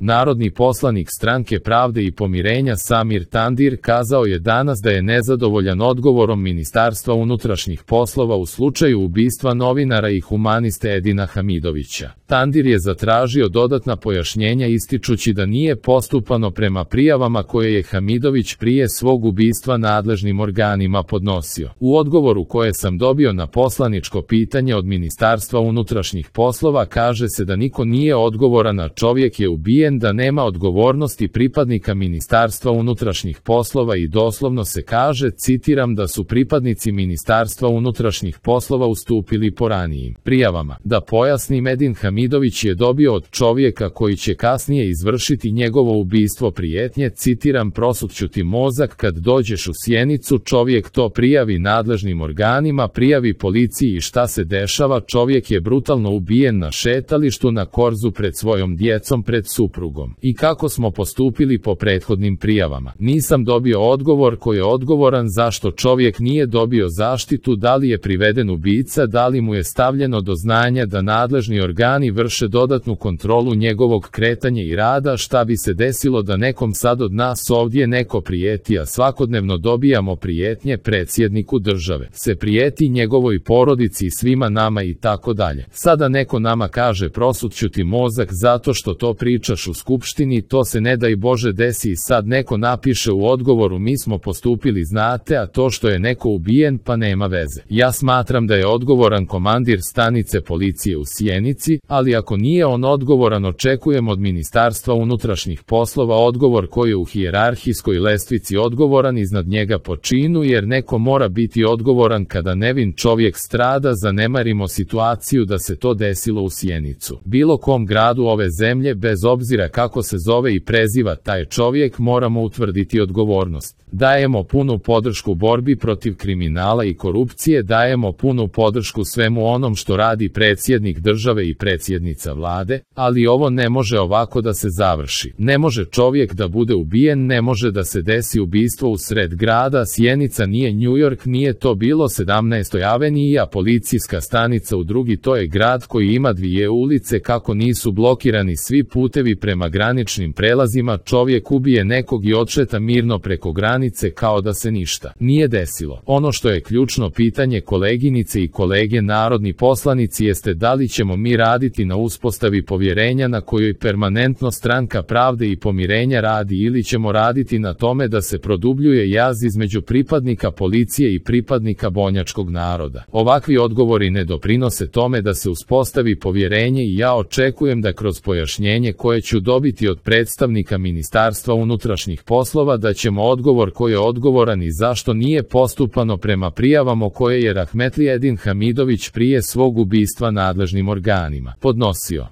Narodni poslanik Stranke pravde i pomirenja Samir Tandir kazao je danas da je nezadovoljan odgovorom Ministarstva unutrašnjih poslova u slučaju ubistva novinara i humaniste Edina Hamidovića. Tandir je zatražio dodatna pojašnjenja ističući da nije postupano prema prijavama koje je Hamidović prije svog ubistva nadležnim organima podnosio. U odgovoru koje sam dobio na poslaničko pitanje od Ministarstva unutrašnjih poslova kaže se da niko nije odgovoran, a čovjek je ubijen, da nema odgovornosti pripadnika Ministarstva unutrašnjih poslova i doslovno se kaže, citiram, da su pripadnici Ministarstva unutrašnjih poslova ustupili po ranijim prijavama. Da pojasnim, Edin Hamidović je dobio od čovjeka koji će kasnije izvršiti njegovo ubistvo prijetnje, citiram, prosutću ti mozak kad dođeš u Sjenicu. Čovjek to prijavi nadležnim organima, prijavi policiji i šta se dešava? Čovjek je brutalno ubijen na šetalištu na Korzu pred svojom djecom, pred suprugom. I kako smo postupili po prethodnim prijavama? Nisam dobio odgovor ko je odgovoran, zašto čovjek nije dobio zaštitu, da li je priveden ubica, da li mu je stavljeno do znanja da nadležni organi vrše dodatnu kontrolu njegovog kretanja i rada, šta bi se desilo da nekom sad od nas ovdje neko prijeti, a svakodnevno dobijamo prijetnje predsjedniku države, se prijeti njegovoj porodici i svima nama i tako dalje. Sada neko nama kaže prosutću ti mozak zato što to pričaš u skupštini, to se ne daj Bože desi i sad neko napiše u odgovoru mi smo postupili znate, a to što je neko ubijen pa nema veze. Ja smatram da je odgovoran komandir stanice policije u Sjenici, ali ako nije on odgovoran, očekujem od Ministarstva unutrašnjih poslova odgovor koji je u hijerarhijskoj lestvici odgovoran iznad njega po činu, jer neko mora biti odgovoran kada nevin čovjek strada. Zanemarimo situaciju da se to desilo u Sjenicu. Bilo kom gradu ove zemlje, bez obzira kako se zove i preziva taj čovjek, moramo utvrditi odgovornost. Dajemo punu podršku borbi protiv kriminala i korupcije, dajemo punu podršku svemu onom što radi predsjednik države i predsjednica vlade, ali ovo ne može ovako da se završi. Ne može čovjek da bude ubijen, ne može da se desi ubistvo u sred grada. Sjenica nije New York, nije to bilo 17. avenija, policijska stanica u drugi, to je grad koji ima 2 ulice, kako nisu blokirani svi putevi prema graničnim prelazima, čovjek ubije nekog i odšeta mirno preko granice kao da se ništa nije desilo. Ono što je ključno pitanje, koleginice i kolege narodni poslanici, jeste da li ćemo mi raditi na uspostavi povjerenja na kojoj permanentno Stranka pravde i pomirenja radi, ili ćemo raditi na tome da se produbljuje jaz između pripadnika policije i pripadnika bošnjačkog naroda. Ovakvi odgovori ne doprinose tome da se uspostavi povjerenje i ja očekujem da kroz pojašnjenje koje ću dobiti od predstavnika Ministarstva unutrašnjih poslova da ćemo odgovor ko je odgovoran i zašto nije postupano prema prijavama koje je rahmetli Edin Hamidović prije svog ubistva nadležnim organima podnosio.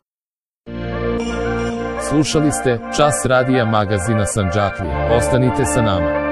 Slušali ste Čas radija magazina Sandžaklija. Ostanite sa nama.